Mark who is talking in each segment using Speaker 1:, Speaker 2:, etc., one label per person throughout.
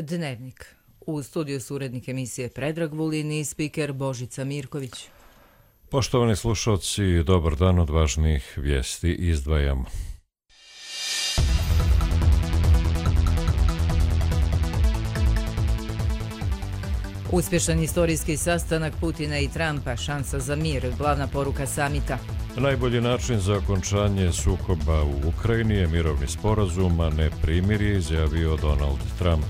Speaker 1: Dnevnik. U studiju su urednik emisije Predrag Vulin i spiker Božica Mirković.
Speaker 2: Poštovani slušalci, dobar dan, od važnih vijesti izdvajamo.
Speaker 1: Uspješan istorijski sastanak Putina i Trumpa, šansa za mir, glavna poruka samita.
Speaker 2: Najbolji način za okončanje sukoba u Ukrajini je mirovni sporazum, a ne primirje, izjavio Donald Trump.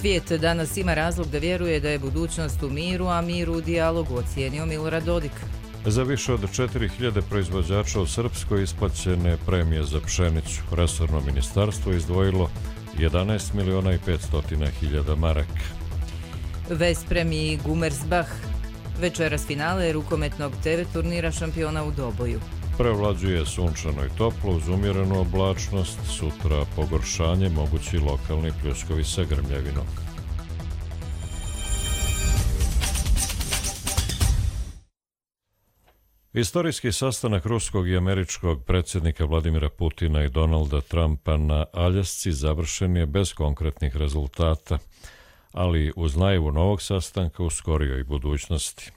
Speaker 1: Svijet danas ima razlog da vjeruje da je budućnost u miru, a mir u dijalogu, ocijenio Milorad Dodik.
Speaker 2: Za više od 4000 proizvođača u Srpskoj isplaćene premije za pšenicu. Resorno ministarstvo izdvojilo 11.500.000 maraka.
Speaker 1: Vesprem i Gummersbach. Večeras finale rukometnog TV turnira šampiona u Doboju.
Speaker 2: Prevlađuje sunčano i toplo uz umjerenu oblačnost, sutra pogoršanje, mogući lokalni pljuskovi sa grmljavinom. Istorijski sastanak ruskog i američkog predsjednika Vladimira Putina i Donalda Trumpa na Aljasci završen je bez konkretnih rezultata, ali uz najavu novog sastanka u skorijoj budućnosti.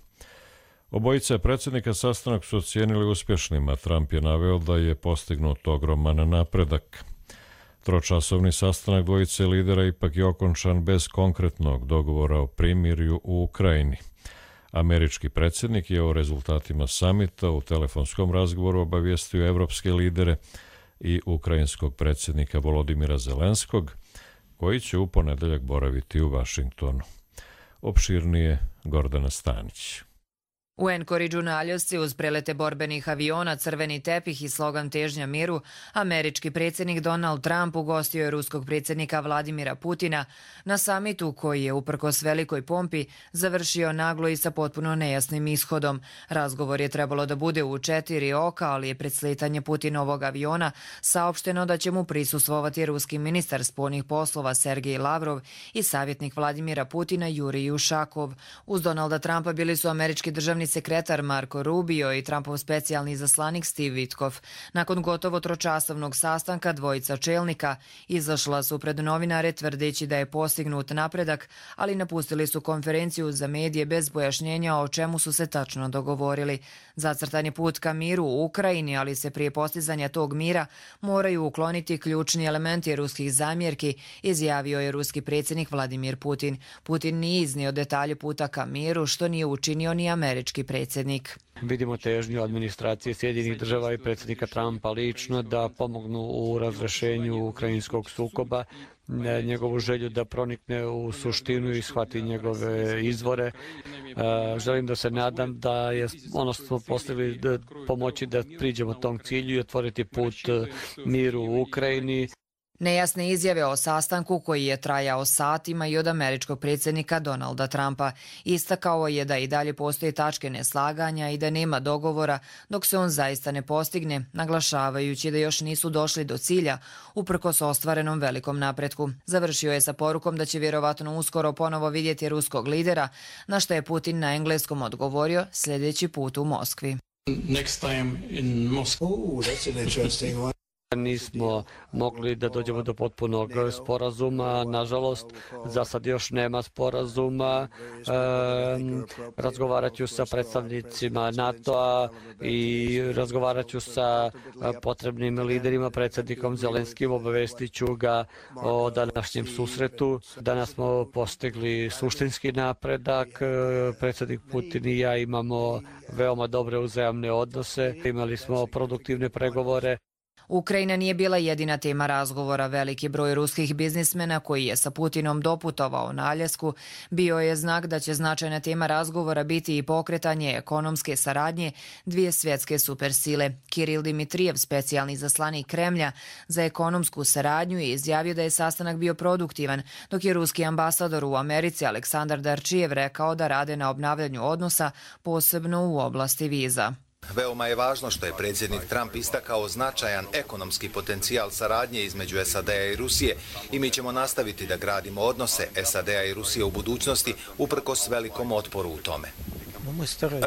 Speaker 2: Obojica predsjednika sastanak su ocijenili uspješnim, a Trump je naveo da je postignut ogroman napredak. Tročasovni sastanak dvojice lidera ipak je okončan bez konkretnog dogovora o primirju u Ukrajini. Američki predsjednik je o rezultatima samita u telefonskom razgovoru obavijestio evropske lidere i ukrajinskog predsjednika Volodimira Zelenskog, koji će u ponedjeljak boraviti u Vašingtonu. Opširnije Gordana Stanić.
Speaker 3: U Anchorageu na Aljasci uz prelete borbenih aviona, crveni tepih i slogan težnja miru, američki predsjednik Donald Trump ugostio je ruskog predsjednika Vladimira Putina na samitu koji je uprkos velikoj pompi završio naglo i sa potpuno nejasnim ishodom. Razgovor je trebalo da bude u 4 oka, ali je pred sletanje Putinovog aviona saopšteno da će mu prisustvovati ruski ministar spoljnih poslova Sergej Lavrov i savjetnik Vladimira Putina Jurij Ušakov. Uz Donalda Trumpa bili su američki državni sekretar Marco Rubio i Trumpov specijalni izaslanik Steve Witkoff. Nakon gotovo tročasovnog sastanka dvojica čelnika izašla su pred novinare tvrdeći da je postignut napredak, ali napustili su konferenciju za medije bez pojašnjenja o čemu su se tačno dogovorili. Zacrtan je put ka miru u Ukrajini, ali se prije postizanja tog mira moraju ukloniti ključni elementi ruskih zamjerki, izjavio je ruski predsjednik Vladimir Putin. Putin nije iznio detalje puta ka miru, što nije učinio ni američki predsjednik.
Speaker 4: Vidimo težnju administracije Sjedinjenih država i predsjednika Trumpa lično da pomognu u razrešenju ukrajinskog sukoba, njegovu želju da pronikne u suštinu i shvati njegove izvore. Želim da se nadam da je ono što smo postigli da pomoći da priđemo tom cilju i otvoriti put miru u Ukrajini.
Speaker 3: Nejasne izjave o sastanku koji je trajao satima i od američkog predsjednika Donalda Trumpa. Istakao je da i dalje postoje tačke neslaganja i da nema dogovora dok se on zaista ne postigne, naglašavajući da još nisu došli do cilja uprkos ostvarenom velikom napretku. Završio je sa porukom da će vjerovatno uskoro ponovo vidjeti ruskog lidera, na što je Putin na engleskom odgovorio sljedeći put u Moskvi.
Speaker 4: Nismo mogli da dođemo do potpunog sporazuma, nažalost, za sad još nema sporazuma. Razgovarat ću sa predstavnicima NATO-a i razgovarat ću sa potrebnim liderima, predsjednikom Zelenskim, obavestit ću ga o današnjem susretu. Danas smo postigli suštinski napredak, predsjednik Putin i ja imamo veoma dobre uzajamne odnose, imali smo produktivne pregovore.
Speaker 3: Ukrajina nije bila jedina tema razgovora. Veliki broj ruskih biznismena koji je sa Putinom doputovao na Aljasku bio je znak da će značajna tema razgovora biti i pokretanje ekonomske saradnje dvije svjetske supersile. Kiril Dimitrijev, specijalni izaslanik Kremlja za ekonomsku saradnju, je izjavio da je sastanak bio produktivan, dok je ruski ambasador u Americi Aleksandar Darčijev rekao da rade na obnavljanju odnosa, posebno u oblasti viza.
Speaker 5: Veoma je važno što je predsjednik Trump istakao značajan ekonomski potencijal saradnje između SAD-a i Rusije i mi ćemo nastaviti da gradimo odnose SAD-a i Rusije u budućnosti uprkos velikom otporu u tome.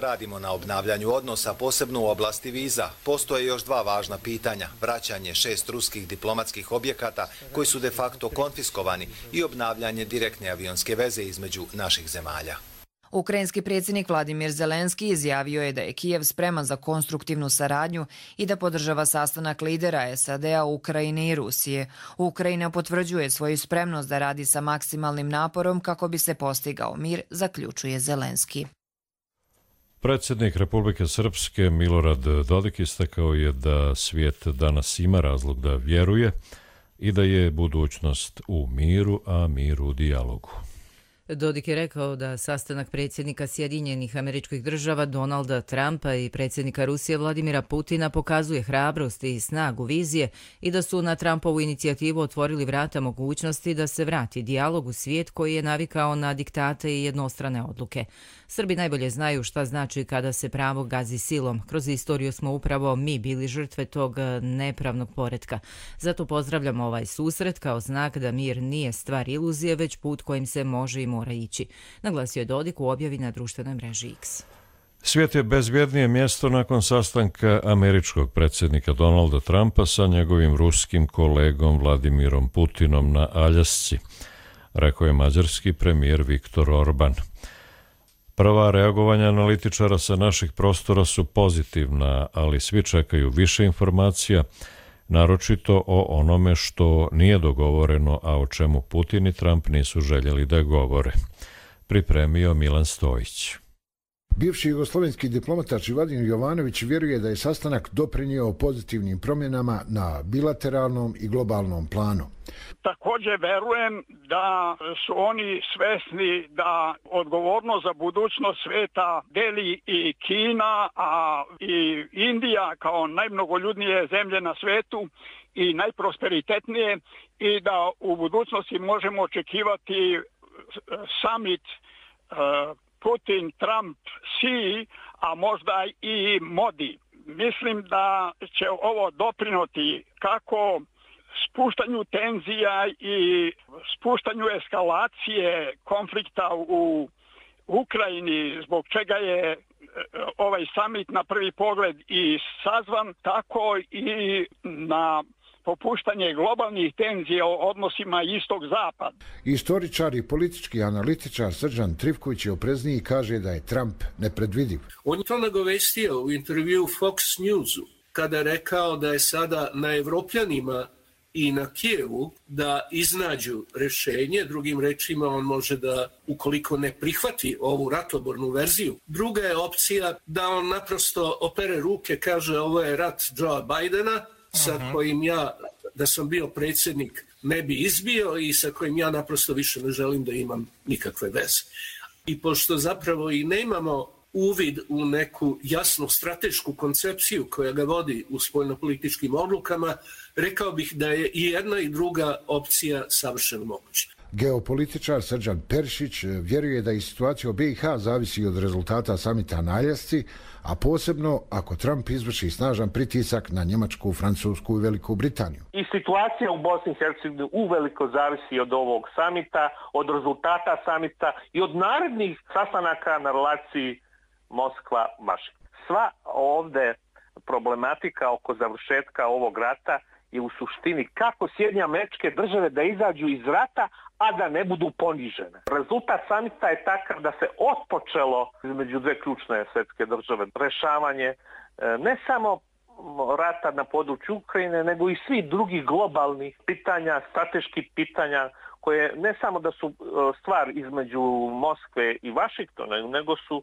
Speaker 5: Radimo na obnavljanju odnosa, posebno u oblasti viza. Postoje još dva važna pitanja. Vraćanje 6 ruskih diplomatskih objekata koji su de facto konfiskovani i obnavljanje direktne avionske veze između naših zemalja.
Speaker 3: Ukrajinski predsjednik Vladimir Zelenski izjavio je da je Kijev spreman za konstruktivnu saradnju i da podržava sastanak lidera SAD-a, Ukrajine i Rusije. Ukrajina potvrđuje svoju spremnost da radi sa maksimalnim naporom kako bi se postigao mir, zaključuje Zelenski.
Speaker 2: Predsjednik Republike Srpske Milorad Dodik istakao je da svijet danas ima razlog da vjeruje i da je budućnost u miru, a mir u dijalogu.
Speaker 1: Dodik je rekao da sastanak predsjednika Sjedinjenih Američkih Država Donalda Trumpa i predsjednika Rusije Vladimira Putina pokazuje hrabrost i snagu vizije i da su na Trumpovu inicijativu otvorili vrata mogućnosti da se vrati dijalog u svijet koji je navikao na diktate i jednostrane odluke. Srbi najbolje znaju šta znači kada se pravo gazi silom. Kroz istoriju smo upravo mi bili žrtve tog nepravnog poretka. Zato pozdravljamo ovaj susret kao znak da mir nije stvar iluzije, već put kojim se može i mora ići, naglasio je Dodik u objavi na društvenoj mreži X.
Speaker 2: Svijet je bezbjednije mjesto nakon sastanka američkog predsjednika Donalda Trumpa sa njegovim ruskim kolegom Vladimirom Putinom na Aljasci, rekao je mađarski premijer Viktor Orban. Prva reagovanja analitičara sa naših prostora su pozitivna, ali svi čekaju više informacija, naročito o onome što nije dogovoreno, a o čemu Putin i Trump nisu željeli da govore. Pripremio Milan Stojić.
Speaker 6: Bivši jugoslovenski diplomata Vladimir Jovanović vjeruje da je sastanak doprinio pozitivnim promjenama na bilateralnom i globalnom planu.
Speaker 7: Također verujem da su oni svesni da odgovornost za budućnost sveta deli i Kina, a i Indija kao najmnogoljudnije zemlje na svetu i najprosperitetnije, i da u budućnosti možemo očekivati summit Putin, Trump, Xi, a možda i Modi. Mislim da će ovo doprinoti kako spuštanju tenzija i spuštanju eskalacije konflikta u Ukrajini, zbog čega je ovaj summit na prvi pogled i sazvan, tako i na popuštanje globalnih tenzija o odnosima istog-zapad.
Speaker 6: Istoričar i politički analitičar Srđan Trivković je oprezniji i kaže da je Trump nepredvidiv.
Speaker 8: On je to nagovestio u intervju Fox Newsu, kada je rekao da je sada na Evropljanima i na Kijevu da iznađu rješenje. Drugim rečima, on može da, ukoliko ne prihvati ovu ratobornu verziju, druga je opcija da on naprosto opere ruke, kaže ovo je rat Joea Bidena, sa kojim ja, da sam bio predsjednik, ne bi izbio i sa kojim ja naprosto više ne želim da imam nikakve veze. I pošto zapravo i nemamo uvid u neku jasnu stratešku koncepciju koja ga vodi u spoljnopolitičkim odlukama, rekao bih da je i jedna i druga opcija savršeno moguća.
Speaker 6: Geopolitičar Srđan Peršić vjeruje da i situacija u BiH zavisi od rezultata samita na Aljasci, a posebno ako Trump izvrši snažan pritisak na Njemačku, Francusku i Veliku Britaniju.
Speaker 9: I situacija u Bosni i Hercegovini uveliko zavisi od ovog samita, od rezultata samita i od narednih sastanaka na relaciji Moskva-Vašington. Sva ovde problematika oko završetka ovog rata je u suštini kako Sjedinjene Američke Države da izađu iz rata, a da ne budu ponižene. Rezultat samita je takav da se otpočelo između dve ključne svjetske države rešavanje ne samo rata na području Ukrajine, nego i svih drugih globalnih pitanja, strateških pitanja, koje ne samo da su stvar između Moskve i Vašingtona, nego su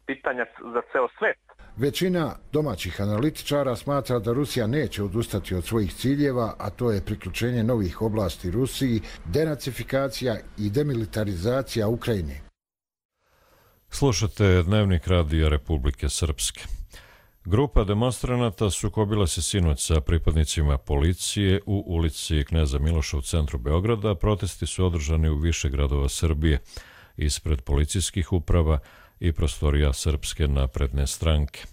Speaker 9: pitanja za ceo svet.
Speaker 6: Većina domaćih analitičara smatra da Rusija neće odustati od svojih ciljeva, a to je priključenje novih oblasti Rusiji, denacifikacija i demilitarizacija Ukrajine.
Speaker 2: Slušate Dnevnik radija Republike Srpske. Grupa demonstranata sukobila se sinoć sa pripadnicima policije u ulici Kneza Miloša u centru Beograda. Protesti su održani u više gradova Srbije, ispred policijskih uprava i prostorija Srpske napredne stranke.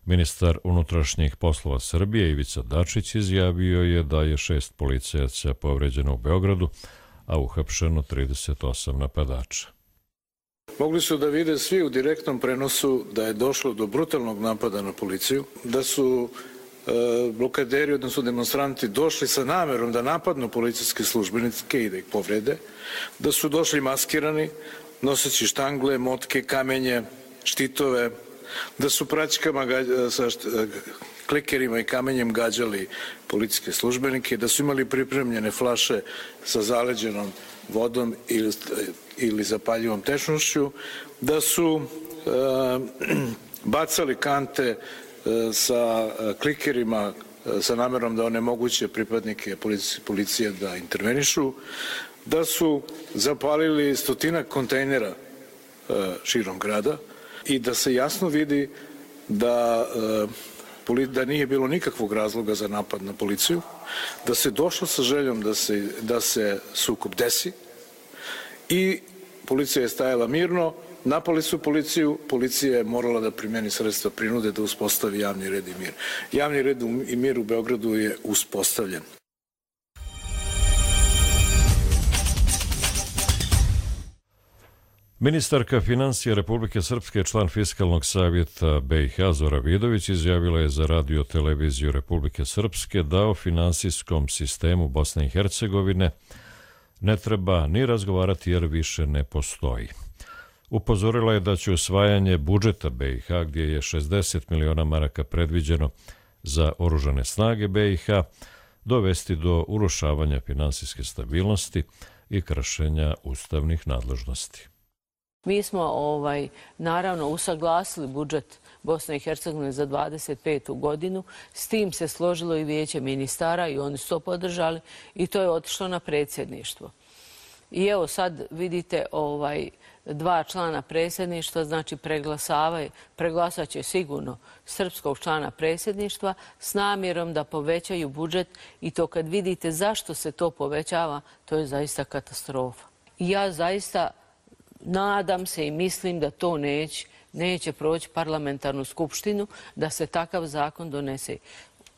Speaker 2: Ministar unutrašnjih poslova Srbije Ivica Dačić izjavio je da je 6 policajaca povređeno u Beogradu, a uhapšeno 38 napadača.
Speaker 10: Mogli su da vide svi u direktnom prenosu da je došlo do brutalnog napada na policiju, da su blokaderi, odnosno demonstranti, došli sa namerom da napadnu policijske službenike i da ih povrede, da su došli maskirani, noseći štangle, motke, kamenje, štitove, da su praćkama sa klikerima i kamenjem gađali policijske službenike, da su imali pripremljene flaše sa zaleđenom vodom ili zapaljivom tečnošću, da su bacali kante sa klikerima sa namerom da onemoguće pripadnike policije da intervenišu, da su zapalili stotinak kontejnera širom grada i da se jasno vidi da nije bilo nikakvog razloga za napad na policiju, da se došlo sa željom da se sukob desi i policija je stajala mirno, napali su policiju, policija je morala da primeni sredstva prinude da uspostavi javni red i mir. Javni red i mir u Beogradu je uspostavljen.
Speaker 2: Ministarka financija Republike Srpske, član Fiskalnog savjeta BiH Zora Vidović, izjavila je za Radio televiziju Republike Srpske da o finansijskom sistemu Bosne i Hercegovine ne treba ni razgovarati jer više ne postoji. Upozorila je da će usvajanje budžeta BiH, gdje je 60 miliona maraka predviđeno za oružane snage BiH, dovesti do urušavanja finansijske stabilnosti i kršenja ustavnih nadležnosti.
Speaker 11: Mi smo naravno usaglasili budžet Bosne i Hercegovine za 25. godinu. S tim se složilo i vijeće ministara i oni su to podržali i to je otišlo na predsjedništvo. I evo sad vidite dva člana predsjedništva, znači preglasat će sigurno srpskog člana predsjedništva s namjerom da povećaju budžet i to kad vidite zašto se to povećava, to je zaista katastrofa. I ja zaista nadam se i mislim da to neće proći parlamentarnu skupštinu, da se takav zakon donese.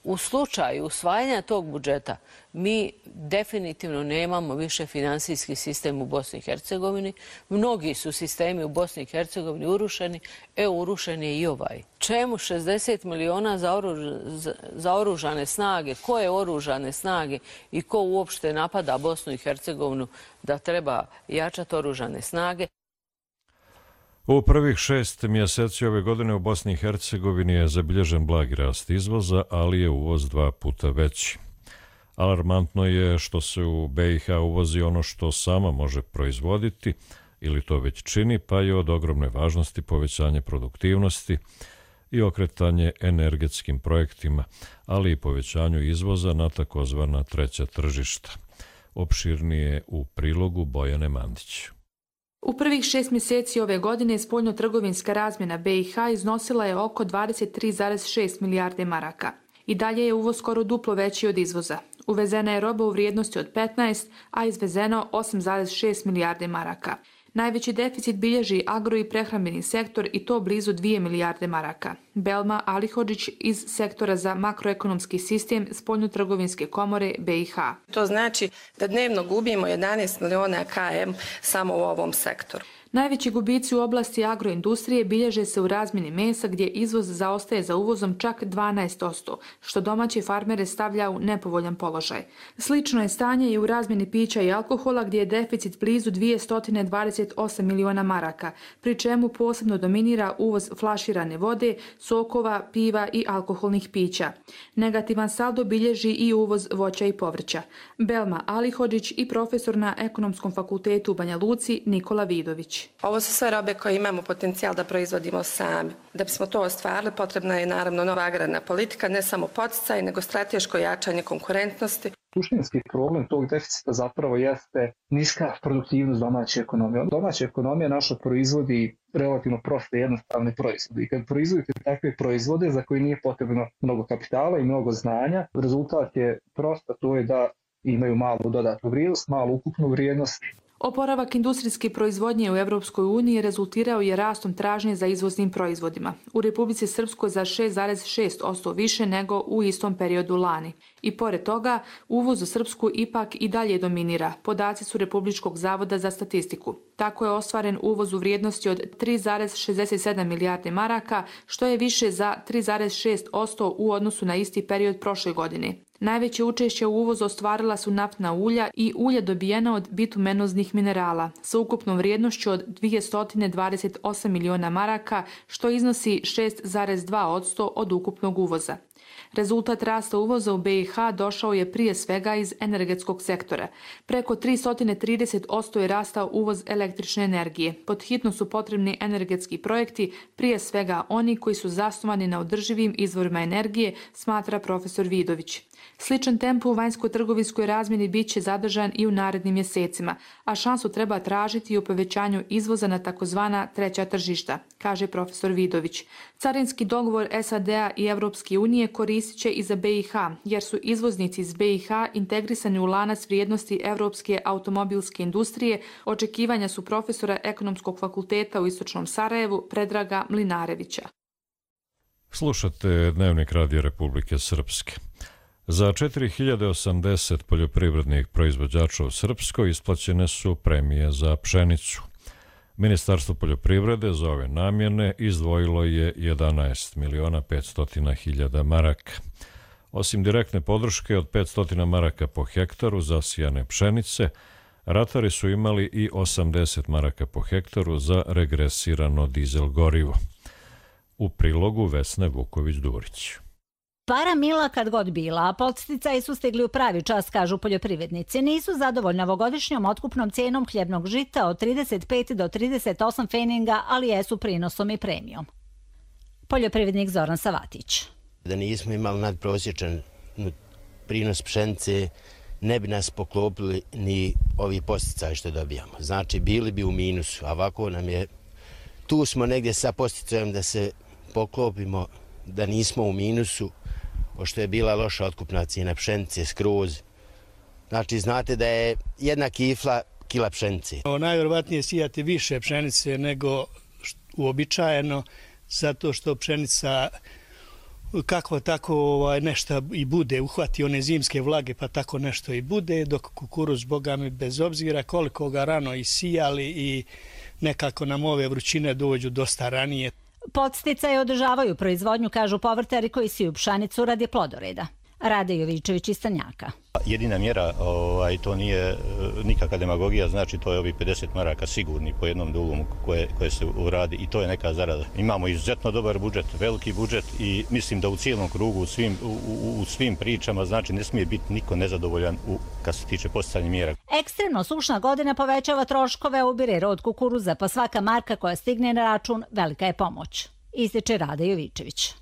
Speaker 11: U slučaju usvajanja tog budžeta mi definitivno nemamo više finansijski sistem u Bosni i Hercegovini. Mnogi su sistemi u Bosni i Hercegovini urušeni, urušen je i ovaj. Čemu 60 miliona za oružane snage? Koje oružane snage i ko uopšte napada Bosnu i Hercegovinu da treba jačati oružane snage?
Speaker 2: U prvih 6 mjeseci ove godine u Bosni i Hercegovini je zabilježen blagi rast izvoza, ali je uvoz 2 puta veći. Alarmantno je što se u BiH uvozi ono što sama može proizvoditi ili to već čini, pa je od ogromne važnosti povećanje produktivnosti i okretanje energetskim projektima, ali i povećanju izvoza na takozvana treća tržišta. Opširnije u prilogu Bojane Mandić.
Speaker 12: U prvih 6 mjeseci ove godine spoljno-trgovinska razmjena BiH iznosila je oko 23,6 milijarde maraka. I dalje je uvoz skoro duplo veći od izvoza. Uvezena je roba u vrijednosti od 15, a izvezeno 8,6 milijarde maraka. Najveći deficit bilježi agro- i prehrambeni sektor i to blizu 2 milijarde maraka. Belma Alihodžić iz sektora za makroekonomski sistem Spoljno-trgovinske komore BiH.
Speaker 13: To znači da dnevno gubimo 11 miliona km samo u ovom sektoru.
Speaker 12: Najveći gubici u oblasti agroindustrije bilježe se u razmjeni mesa gdje izvoz zaostaje za uvozom čak 12%, što domaće farmere stavlja u nepovoljan položaj. Slično je stanje i u razmjeni pića i alkohola gdje je deficit blizu 228 miliona maraka, pri čemu posebno dominira uvoz flaširane vode, sokova, piva i alkoholnih pića. Negativan saldo bilježi i uvoz voća i povrća. Belma Alihodžić i profesor na Ekonomskom fakultetu u Banja Luci Nikola Vidović.
Speaker 13: Ovo su sve robe koje imamo potencijal da proizvodimo sami. Da bismo to ostvarili, potrebna je naravno nova agrarna politika, ne samo podsticaj, nego strateško jačanje konkurentnosti.
Speaker 14: Suštinski problem tog deficita zapravo jeste niska produktivnost domaće ekonomije. Domaća ekonomija naša proizvodi relativno proste i jednostavne proizvode. I kad proizvodite takve proizvode za koje nije potrebno mnogo kapitala i mnogo znanja, rezultat je prosto, to je da imaju malu dodatnu vrijednost, malu ukupnu vrijednost.
Speaker 12: Oporavak industrijske proizvodnje u Evropskoj uniji rezultirao je rastom tražnje za izvoznim proizvodima. U Republici Srpskoj za 6,6% više nego u istom periodu lani. I pored toga, uvoz u Srpsku ipak i dalje dominira. Podaci su Republičkog zavoda za statistiku. Tako je ostvaren uvoz u vrijednosti od 3,67 milijarde maraka, što je više za 3,6% u odnosu na isti period prošle godine. Najveće učešće u uvozu ostvarila su naftna ulja i ulje dobijena od bitumenoznih minerala sa ukupnom vrijednošću od 228 miliona maraka, što iznosi 6,2% od ukupnog uvoza. Rezultat rasta uvoza u BiH došao je prije svega iz energetskog sektora. Preko 330% je rastao uvoz električne energije. Pod hitno su potrebni energetski projekti, prije svega oni koji su zasnovani na održivim izvorima energije, smatra profesor Vidović. Sličan tempo u vanjsko-trgovinskoj razmjeni bit će zadržan i u narednim mjesecima, a šansu treba tražiti i u povećanju izvoza na takozvana treća tržišta, kaže profesor Vidović. Carinski dogovor SAD-a i Evropske unije koristit će i za BiH, jer su izvoznici iz BiH integrisani u lanac vrijednosti evropske automobilske industrije, očekivanja su profesora Ekonomskog fakulteta u Istočnom Sarajevu Predraga Mlinarevića.
Speaker 2: Slušate Dnevnik Radija Republike Srpske. Za 4080 poljoprivrednih proizvođača u Srpskoj isplaćene su premije za pšenicu. Ministarstvo poljoprivrede za ove namjene izdvojilo je 11.500.000 maraka. Osim direktne podrške od 500 maraka po hektaru zasijane pšenice, ratari su imali i 80 maraka po hektaru za regresirano dizel gorivo. U prilogu Vesne Vuković-Durić.
Speaker 15: Para mila kad god bila, a podsticaji su stigli u pravi čas, kažu poljoprivrednici. Nisu zadovoljni ovogodišnjom otkupnom cijenom hljebnog žita od 35 do 38 feninga, ali jesu prinosom i premijom. Poljoprivrednik Zoran Savatić.
Speaker 16: Da nismo imali nadprosječan prinos pšenice, ne bi nas poklopili ni ovi posticaji što dobijamo. Znači, bili bi u minusu, a ovako nam je... Tu smo negdje sa posticajem da se poklopimo, da nismo u minusu, pošto je bila loša otkupna cijena pšenice skroz. Znači, znate da je jedna kifla kila pšenice.
Speaker 17: Najvjerovatnije sijati više pšenice nego uobičajeno, zato što pšenica kakva tako nešto i bude, uhvati one zimske vlage pa tako nešto i bude, dok kukuruz, boga mi, bez obzira koliko ga rano i sijali i nekako nam ove vrućine dođu dosta ranije.
Speaker 15: Podsticaji održavaju proizvodnju, kažu povrtari koji siju pšenicu radi plodoreda. Rade Jovičević iz Tanjaka.
Speaker 18: Jedina mjera, to nije nikakva demagogija, znači to je ovih 50 maraka sigurni po jednom dugom koje se uradi i to je neka zarada. Imamo izuzetno dobar budžet, veliki budžet i mislim da u cijelom krugu, u svim pričama, znači ne smije biti niko nezadovoljan kad se tiče posticanja mjera.
Speaker 15: Ekstremno sušna godina povećava troškove, ubire rod kukuruza, pa svaka marka koja stigne na račun velika je pomoć. Ističe Rade Jovičević.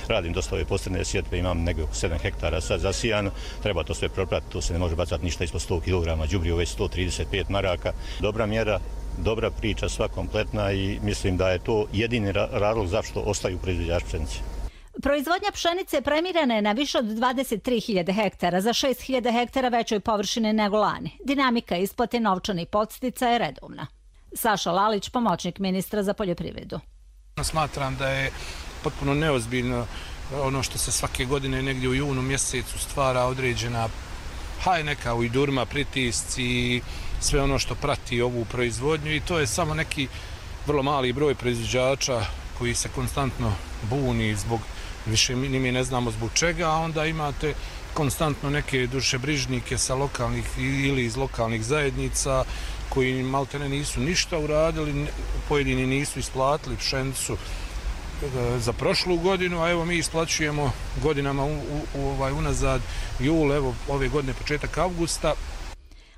Speaker 18: Radim dosta ove posredne sjetve, imam negdje 7 hektara sad zasijano, treba to sve propratiti, to se ne može bacati ništa ispod 100 kg, đubrivo već 135 maraka. Dobra mjera, dobra priča, sva kompletna i mislim da je to jedini razlog zašto ostaju proizvođači pšenice.
Speaker 15: Proizvodnja pšenice premirana je na više od 23.000 hektara, za 6.000 hektara većoj površine nego lani. Dinamika isplate novčanih podstica je redovna. Saša Lalić, pomoćnik ministra za poljoprivredu.
Speaker 19: Smatram da je potpuno neozbiljno ono što se svake godine negdje u junu mjesecu stvara određena neka ujdurma, pritisci i sve ono što prati ovu proizvodnju i to je samo neki vrlo mali broj proizvođača koji se konstantno buni zbog, više mi ne znamo zbog čega, a onda imate konstantno neke dušebrižnike sa lokalnih ili iz lokalnih zajednica koji maltene nisu ništa uradili, pojedini nisu isplatili pšenicu za prošlu godinu, a evo mi isplaćujemo godinama unazad jul, evo ove godine početak avgusta.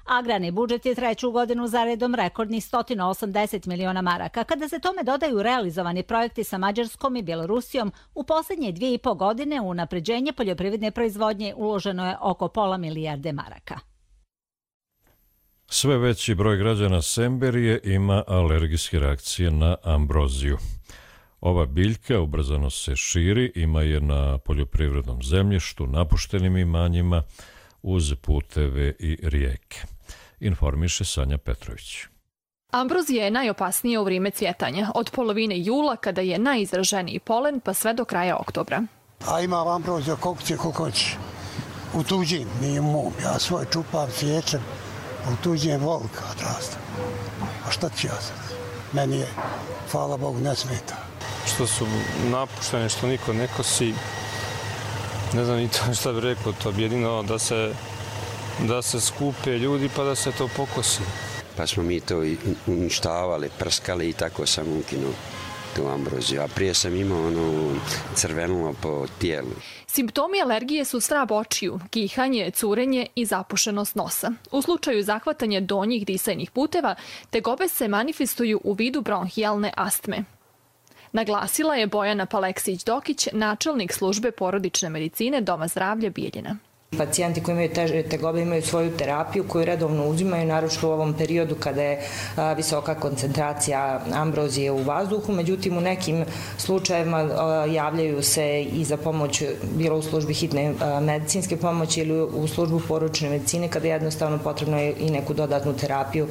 Speaker 15: Agrarni budžet je treću godinu za redom rekordnih 180 miliona maraka. Kada se tome dodaju realizovani projekti sa Mađarskom i Bjelorusijom, u posljednje 2,5 godine u unapređenje poljoprivredne proizvodnje uloženo je oko pola milijarde maraka.
Speaker 2: Sve veći broj građana Semberije ima alergijske reakcije na ambroziju. Ova biljka ubrzano se širi, ima je na poljoprivrednom zemljištu, napuštenim imanjima, uz puteve i rijeke. informiše Sanja Petrović.
Speaker 20: Ambrozija je najopasnija u vrijeme cvjetanja, od polovine jula kada je najizraženiji polen pa sve do kraja oktobra.
Speaker 21: A ima ambrozija koliko hoće. U tuđim, nije mom. Ja svoj čupam, sjećam. U tuđim volka odrastam. A šta ću ja sad? Meni je, hvala Bogu, ne smeta.
Speaker 22: Što su napuštene, što niko ne kosi, ne znam ni to šta bih rekao, to bi jedino da se skupe ljudi pa da se to pokosi.
Speaker 23: Pa smo mi to uništavali, prskali i tako sam ukinuo tu ambroziju. A prije sam imao crvenilo po tijelu.
Speaker 20: Simptomi alergije su svrab očiju, kihanje, curenje i zapušenost nosa. U slučaju zahvatanja donjih disajnih puteva, tegobe se manifestuju u vidu bronhijalne astme. Naglasila je Bojana Paleksić-Dokić, načelnik službe porodične medicine Doma zdravlja Bijeljina.
Speaker 24: Pacijenti koji imaju teže tegobe imaju svoju terapiju koju redovno uzimaju, naročito u ovom periodu kada je visoka koncentracija ambrozije u vazduhu. Međutim, u nekim slučajevima javljaju se i za pomoć, bilo u službi hitne medicinske pomoći ili u službu porodične medicine, kada jednostavno potrebno je i neku dodatnu terapiju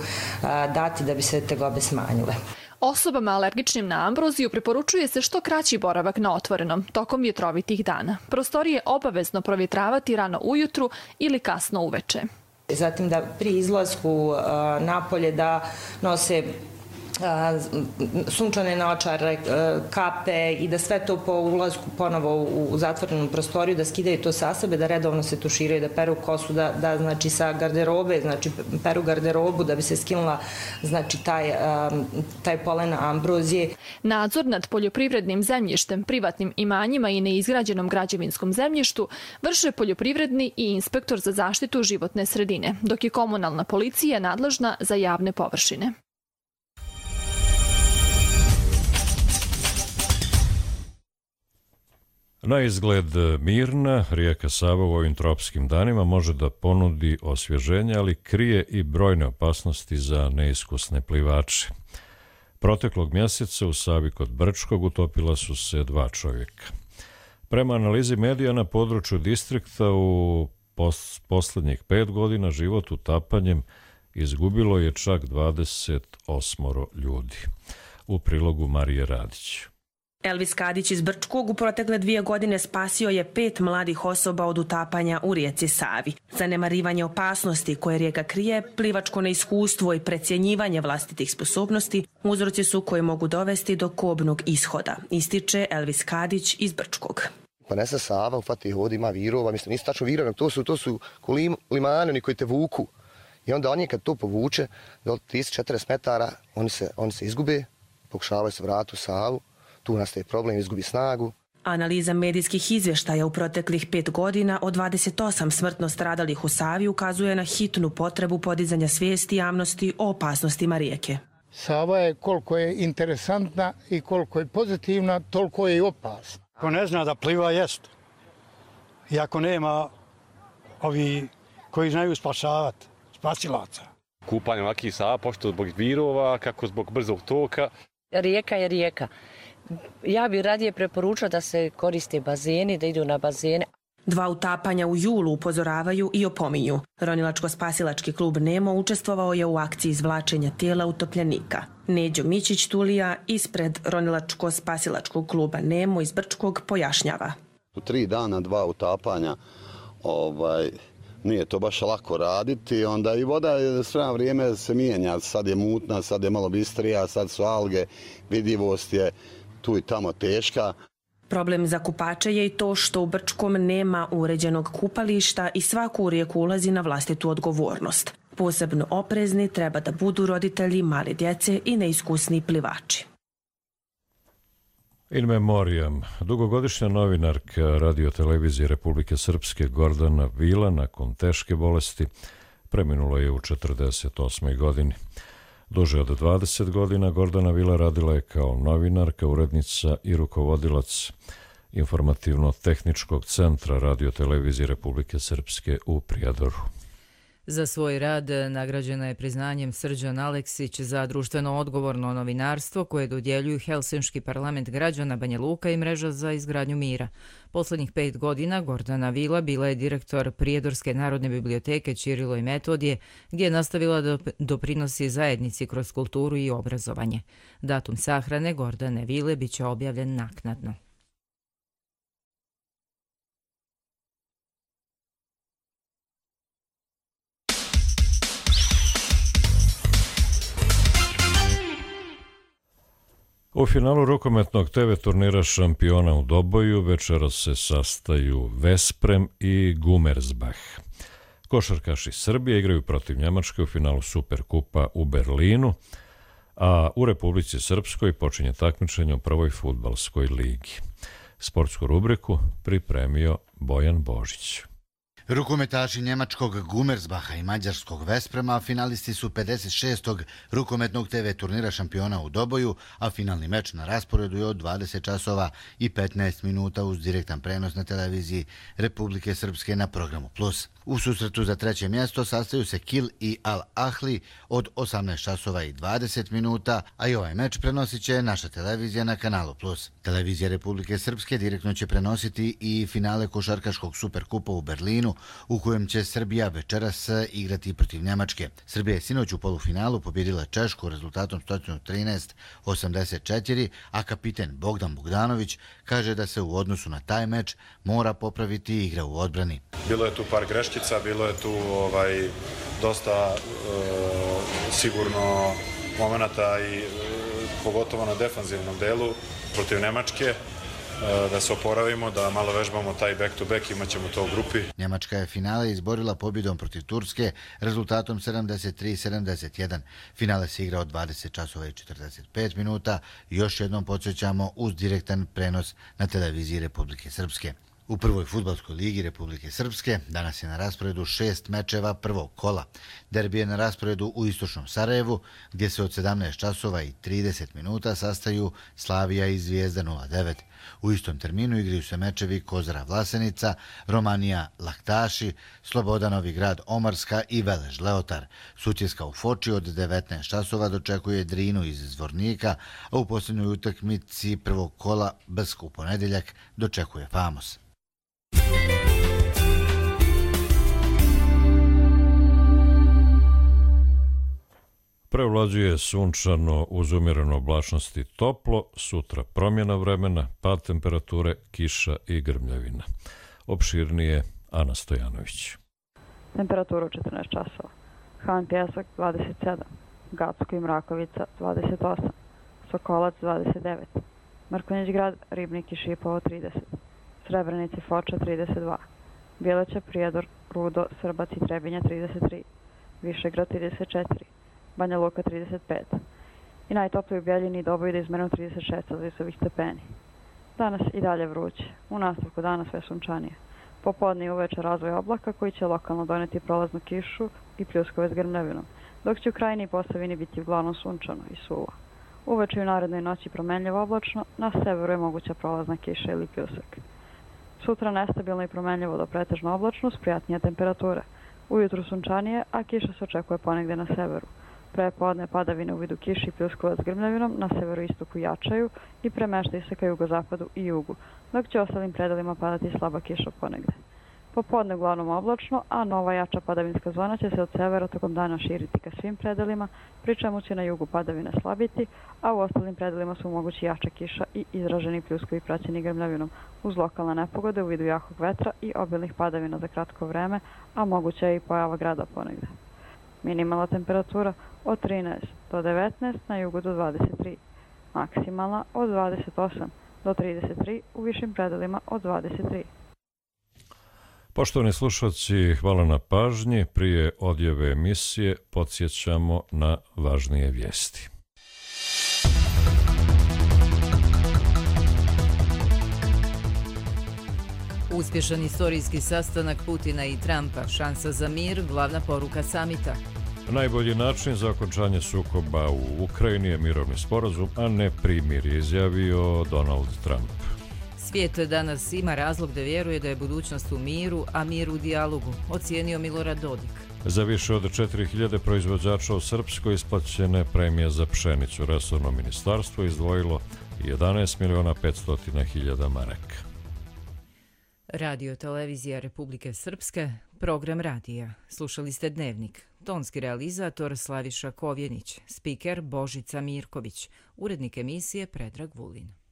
Speaker 24: dati da bi se tegobe smanjile.
Speaker 20: Osobama alergičnim na ambroziju preporučuje se što kraći boravak na otvorenom tokom vjetrovitih dana. Prostorije obavezno provjetravati rano ujutru ili kasno uveče.
Speaker 24: Zatim da pri izlasku napolje da nose sunčane naočare, kape i da sve to po ulazku ponovo u zatvorenu prostoriju, da skidaju to sa sebe, da redovno se tuširaju, da peru kosu, da znači sa garderobe, znači peru garderobu da bi se skinula znači taj polen ambrozije.
Speaker 20: Nadzor nad poljoprivrednim zemljištem, privatnim imanjima i neizgrađenom građevinskom zemljištu vrše poljoprivredni i inspektor za zaštitu životne sredine, dok je komunalna policija nadležna za javne površine.
Speaker 2: Na izgled mirna, rijeka Sava u ovim tropskim danima može da ponudi osvježenje, ali krije i brojne opasnosti za neiskusne plivače. Proteklog mjeseca u Savi kod Brčkog utopila su se 2 čovjeka. Prema analizi medija na području distrikta u posljednjih 5 godina život utapanjem izgubilo je čak 28 ljudi. U prilogu Marije Radić.
Speaker 25: Elvis Kadić iz Brčkog u protekle 2 godine spasio je 5 mladih osoba od utapanja u rijeci Savi. Zanemarivanje opasnosti koje rijeka krije, plivačko neiskustvo i precjenjivanje vlastitih sposobnosti uzroci su koji mogu dovesti do kobnog ishoda, ističe Elvis Kadić iz Brčkog.
Speaker 26: Ponese Sava, ufati hod, ima virova, mislim, nisu tačno virova, to su limani, oni koji te vuku. I onda oni kad to povuče, do 30-40 metara, oni se izgube, pokušavaju se vratiti u Savu. Tu nastaje problem, izgubi snagu.
Speaker 25: Analiza medijskih izvještaja u proteklih 5 godina od 28 smrtno stradalih u Savi ukazuje na hitnu potrebu podizanja svijesti javnosti o opasnostima rijeke.
Speaker 21: Sava je koliko je interesantna i koliko je pozitivna, toliko je i opasna.
Speaker 27: Ko ne zna da pliva jest. I ako nema ovi koji znaju spašavati, spasilaca.
Speaker 28: Kupanje ovakvih Sava, pošto zbog virova, kako zbog brzog toka.
Speaker 29: Rijeka je rijeka. Ja bih radije preporučila da se koriste bazeni, da idu na bazene.
Speaker 25: 2 utapanja u julu upozoravaju i opominju. Ronilačko-spasilački klub Nemo učestvovao je u akciji izvlačenja tijela utopljenika. Neđo Mićić Tulija ispred Ronilačko-spasilačkog kluba Nemo iz Brčkog pojašnjava.
Speaker 30: U 3 dana 2 utapanja nije to baš lako raditi, onda i voda sve vrijeme se mijenja, sad je mutna, sad je malo bistrija, sad su alge, vidljivost je tu i tamo teška.
Speaker 25: Problem za kupače je i to što u Brčkom nema uređenog kupališta i svaku u rijeku ulazi na vlastitu odgovornost. Posebno oprezni treba da budu roditelji male djece i neiskusni plivači.
Speaker 2: In memoriam, dugogodišnja novinarka radiotelevizije Republike Srpske Gordana Vila nakon teške bolesti preminula je u 48. godini. Duže od 20 godina Gordana Vila radila je kao novinarka, urednica i rukovodilac informativno-tehničkog centra radiotelevizije Republike Srpske u Prijedoru.
Speaker 1: Za svoj rad nagrađena je priznanjem Srđan Aleksić za društveno odgovorno novinarstvo koje dodjeljuju Helsinški parlament građana Banja Luka i Mreža za izgradnju mira. Poslednjih 5 godina Gordana Vila bila je direktor Prijedorske narodne biblioteke Ćirilo i Metodije, gdje je nastavila da doprinosi zajednici kroz kulturu i obrazovanje. Datum sahrane Gordane Vile biće objavljen naknadno.
Speaker 2: U finalu rukometnog TV turnira šampiona u Doboju večeras se sastaju Vesprem i Gumersbach. Košarkaši Srbije igraju protiv Njemačke u finalu Superkupa u Berlinu, a u Republici Srpskoj počinje takmičenje u prvoj fudbalskoj ligi. Sportsku rubriku pripremio Bojan Božić.
Speaker 3: Rukometaši njemačkog Gumersbaha i mađarskog Vesprema finalisti su 56. rukometnog TV turnira šampiona u Doboju, a finalni meč na rasporedu je od 20 časova i 15 minuta uz direktan prenos na televiziji Republike Srpske na programu Plus. U susretu za treće mjesto sastaju se Kil i Al Ahli od 18 časova i 20 minuta, a i ovaj meč prenosit će naša televizija na kanalu Plus. Televizija Republike Srpske direktno će prenositi i finale košarkaškog Superkupa u Berlinu, u kojem će Srbija večeras igrati protiv Njemačke. Srbija je sinoć u polufinalu pobjedila Češku rezultatom 113-84, a kapiten Bogdan Bogdanović kaže da se u odnosu na taj meč mora popraviti igra u odbrani.
Speaker 4: Bilo je tu par greškica, bilo je tu dosta sigurno momenata i pogotovo na defanzivnom delu protiv Nemačke, da se oporavimo, da malo vežbamo taj back-to-back, imat ćemo to u grupi.
Speaker 3: Njemačka je finale izborila pobjedom protiv Turske rezultatom 73-71. Finale se igra od 20 časova i 45 minuta. Još jednom podsjećamo uz direktan prenos na televiziji Republike Srpske. U prvoj fudbalskoj ligi Republike Srpske danas je na rasporedu 6 mečeva prvog kola. Derbi je na rasporedu u istočnom Sarajevu, gdje se od 17 časova i 30 minuta sastaju Slavija i Zvijezda 09. U istom terminu igraju se mečevi Kozara Vlasenica, Romanija Laktaši, Sloboda Novi Grad Omarska i Velež Leotar. Sutjeska u Foči od 19 časova dočekuje Drinu iz Zvornika, a u posljednjoj utakmici prvog kola Brsk u ponedjeljak dočekuje Famos.
Speaker 2: Prevlađuje sunčano uz umjereno oblačnosti toplo, sutra promjena vremena, pad temperature, kiša i grmljavina. Opširnije Ana Stojanović.
Speaker 5: Temperatura 14 časova. Han Pjesak 27, Gacko i Mrakovica 28, Sokolac 29, Mrkonjić Grad, Ribnik i Šipovo 30, Srebrenici Foča 32, Bjeleća, Prijedor, Rudo, Srbac i Trebinja 33, Višegrad 34, Banja Luka 35 i najtopliji u Bjeljini i Doboj da izmerom 36 celzijusovih stepeni. Danas i dalje vruće, u nastavku dana sve sunčanije. Popodne i uveče razvoj oblaka koji će lokalno doneti prolaznu kišu i pljuskove s grmljavinom, dok će u krajini i Posavini biti uglavnom sunčano i suvo. Uveče i u narednoj noći promenljivo oblačno, na severu je moguća prolazna kiša ili pljusak. Sutra nestabilno i promenljivo do pretežno oblačno s prijatnije temperature. Ujutru sunčanije, a kiša se očekuje ponegde na severu. Prepodne padavine u vidu kiši i pljuskova s grmljavinom na severoistoku jačaju i premeštaju se ka jugozapadu i jugu, dok će ostalim predelima padati slaba kiša ponegde. Popodne uglavnom oblačno, a nova jača padavinska zona će se od severa tokom dana širiti ka svim predelima, pri čemu će na jugu padavine slabiti, a u ostalim predelima su mogući jača kiša i izraženi pljuskovi praćeni grmljavinom, uz lokalne nepogode u vidu jakog vetra i obilnih padavina za kratko vreme, a moguća je i pojava grada ponegde. Minimalna temperatura od 13 do 19, na jugu do 23. Maksimalna od 28 do 33, u višim predelima od 23.
Speaker 2: Poštovani slušalci, hvala na pažnji. Prije odjave emisije podsjećamo na važnije vijesti.
Speaker 1: Uspješan istorijski sastanak Putina i Trumpa, šansa za mir, glavna poruka samita.
Speaker 2: Najbolji način za okončanje sukoba u Ukrajini je mirovni sporazum, a ne primirje, izjavio Donald Trump.
Speaker 1: Svijet danas ima razlog da vjeruje da je budućnost u miru, a mir u dijalogu, ocijenio Milorad Dodik.
Speaker 2: Za više od 4000 proizvođača u Srpskoj isplaćene premije za pšenicu. Resorno ministarstvo izdvojilo 11.500.000 maraka.
Speaker 1: Radio televizija Republike Srpske, program radija. Slušali ste Dnevnik. Tonski realizator Slaviša Kovjenić, spiker Božica Mirković, urednik emisije Predrag Vulin.